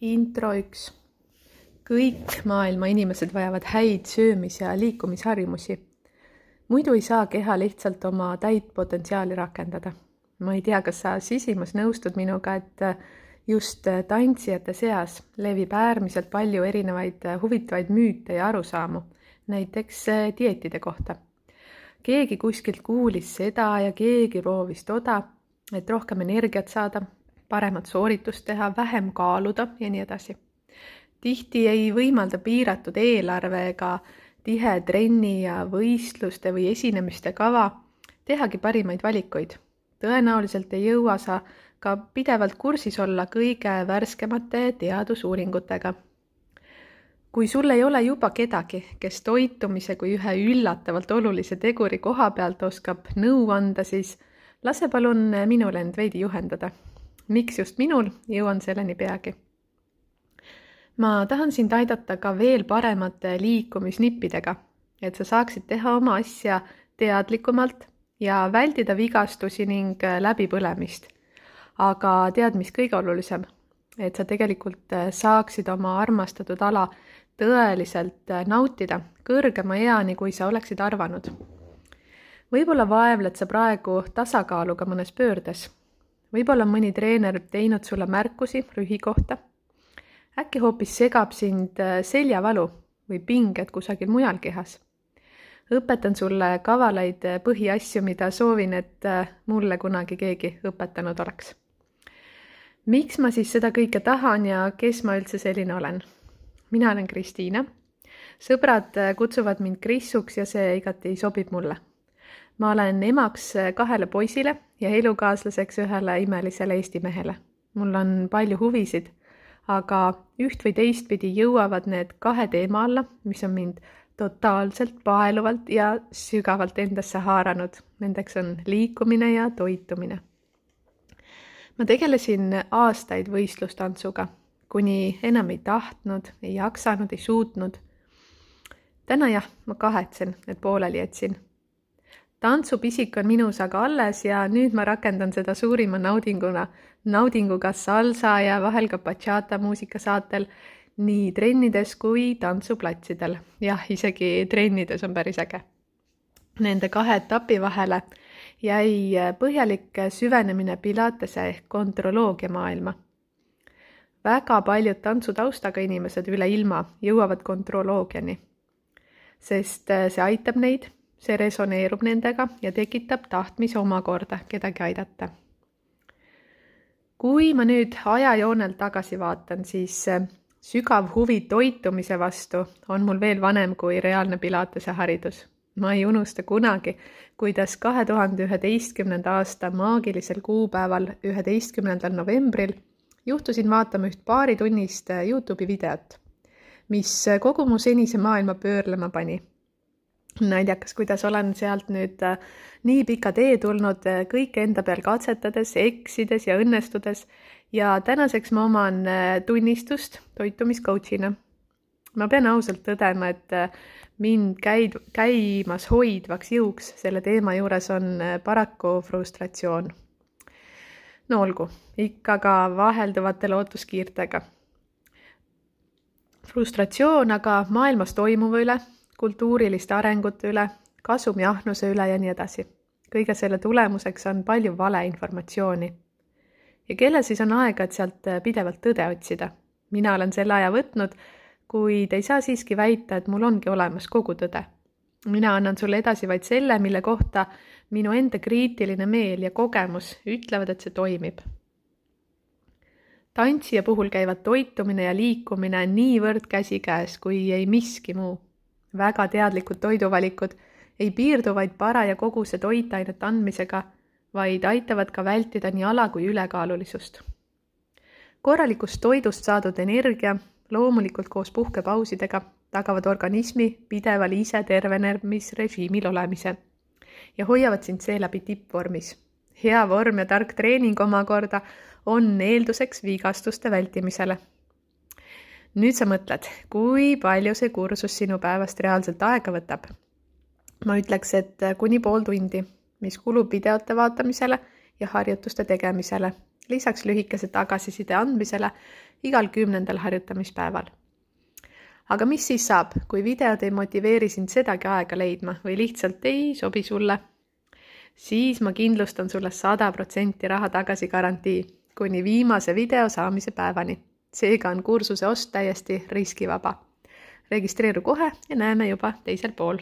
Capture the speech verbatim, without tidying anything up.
Intro üks. Kõik maailma inimesed vajavad häid söömis- ja liikumisharjumusi. Muidu ei saa keha lihtsalt oma täit potentsiaali rakendada. Ma ei tea, kas sa sisimas nõustud minuga, et just tantsijate seas levib äärmiselt palju erinevaid huvitavaid müüte ja arusaamu, näiteks dieetide kohta. Keegi kuskilt kuulis seda ja keegi proovis toda, et rohkem energiat saada, paremat sooritust teha, vähem kaaluda ja nii edasi. Tihti ei võimalda piiratud eelarve ega tihe trenni ja võistluste või esinemiste kava tehagi parimaid valikuid. Tõenäoliselt ei jõua sa ka pidevalt kursis olla kõige värskemate teadusuuringutega. Kui sul ei ole juba kedagi, kes toitumise kui ühe üllatavalt olulise teguri koha pealt oskab nõu anda, siis lase palun minul end veidi juhendada. Miks just minul, jõuan selleni peagi. Ma tahan sind aidata ka veel paremate liikumisnippidega, et sa saaksid teha oma asja teadlikumalt ja väldida vigastusi ning läbipõlemist. Aga tead, mis kõige olulisem, et sa tegelikult saaksid oma armastatud ala tõeliselt nautida kõrgema eani, kui sa oleksid arvanud. Võib-olla vaevled sa praegu tasakaaluga mõnes pöördes. Võib-olla mõni treener teinud sulle märkusi rühi kohta. Äkki hoopis segab sind seljavalu või pinged kusagil mujal kehas. Õpetan sulle kavalaid põhiasju, mida soovin, et mulle kunagi keegi õpetanud oleks. Miks ma siis seda kõike tahan ja kes ma üldse selline olen? Mina olen Kristiina. Sõbrad kutsuvad mind Krissuks ja see igati sobib mulle. Ma olen emaks kahele poisile ja elukaaslaseks ühele imelisele Eesti mehele. Mul on palju huvisid, aga üht või teistpidi jõuavad need kahe teema alla, mis on mind totaalselt paeluvalt ja sügavalt endasse haaranud. Nendeks on liikumine ja toitumine. Ma tegelesin aastaid võistlustantsuga, kuni enam ei tahtnud, ei jaksanud, ei suutnud. Täna jah, ma kahetsen, et pooleli jätsin. Tantsupisik on minus aga alles ja nüüd ma rakendan seda suurima naudinguna, naudinguga salsa ja vahel ka bachata muusikasaatel nii trennides kui tantsuplatsidel. Jah, isegi trennides on päris äge. Nende kahe etapi vahele jäi põhjalik süvenemine pilatese ehk kontrolloogia maailma. Väga paljud tantsutaustaga inimesed üle ilma jõuavad kontrolloogiani, sest see aitab neid, see resoneerub nendega ja tekitab tahtmise omakorda kedagi aidata. Kui ma nüüd ajajoonel tagasi vaatan, siis sügav huvi toitumise vastu on mul veel vanem kui reaalne pilatese haridus. Ma ei unusta kunagi, kuidas kahe tuhande üheteistkümnenda aasta maagilisel kuupäeval üheteistkümnendal novembril juhtusin vaatama üht paari tunnist YouTube'i videot, mis kogu mu senise maailma pöörlema pani. Näidjakas, kuidas olen sealt nüüd nii pika tee tulnud kõike enda peal katsetades, eksides ja õnnestudes ja tänaseks ma oman tunnistust toitumiscoachina. Ma pean ausalt tõdema, et mind käid, käimas hoidvaks jõuks selle teema juures on paraku frustratsioon. No olgu, ikka ka vahelduvate lootuskiirtega. Frustratsioon aga maailmas toimuva üle, kultuuriliste arengute üle, kasumiahnuse üle ja nii edasi. Kõige selle tulemuseks on palju valeinformatsiooni. Ja kellel siis on aega, et sealt pidevalt tõde otsida? Mina olen selle aja võtnud, kuid ei saa siiski väita, et mul ongi olemas kogu tõde. Mina annan sulle edasi vaid selle, mille kohta minu enda kriitiline meel ja kogemus ütlevad, et see toimib. Tantsija puhul käivad toitumine ja liikumine niivõrd käsikäes, kui ei miski muu. Väga teadlikud toiduvalikud ei piirdu vaid paraja koguse toitainet andmisega, vaid aitavad ka vältida nii ala- kui ülekaalulisust. Korralikust toidust saadud energia, loomulikult koos puhkepausidega, tagavad organismi pideval ise tervenemisrežiimil olemise ja hoiavad sind seeläbi tippvormis. Hea vorm ja tark treening omakorda on eelduseks vigastuste vältimisele. Nüüd sa mõtled, kui palju see kursus sinu päevast reaalselt aega võtab. Ma ütleks, et kuni pool tundi, mis kulub videote vaatamisele ja harjutuste tegemisele, lisaks lühikese tagasiside andmisele igal kümnendal harjutamispäeval. aga mis siis saab, kui videod ei motiveeri sind sedagi aega leidma või lihtsalt ei sobi sulle? Siis ma kindlustan sulle sada protsenti raha tagasi garantii kuni viimase video saamise päevani. Seega on kursuse ost täiesti riskivaba. Registreeru kohe ja näeme juba teisel pool.